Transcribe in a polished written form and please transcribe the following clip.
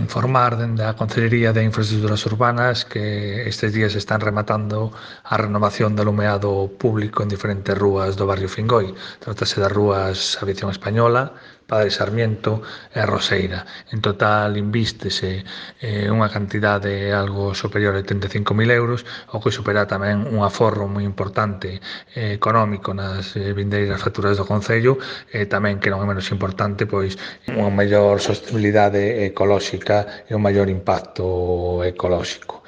informar dende a Concellería de Infraestructuras Urbanas que estes días están rematando a renovación do alumeado público en diferentes rúas do barrio Fingoi. Trátase das rúas Aviación Española, Padre Sarmiento e Roseira. En total invístese unha cantidade algo superior a 85.000 euros, o que supera tamén un aforro moi importante económico nas vindeiras facturas do Concello e tamén, que non é menos importante, pois unha mellor sostenibilidade ecolóxica e un maior impacto ecolóxico.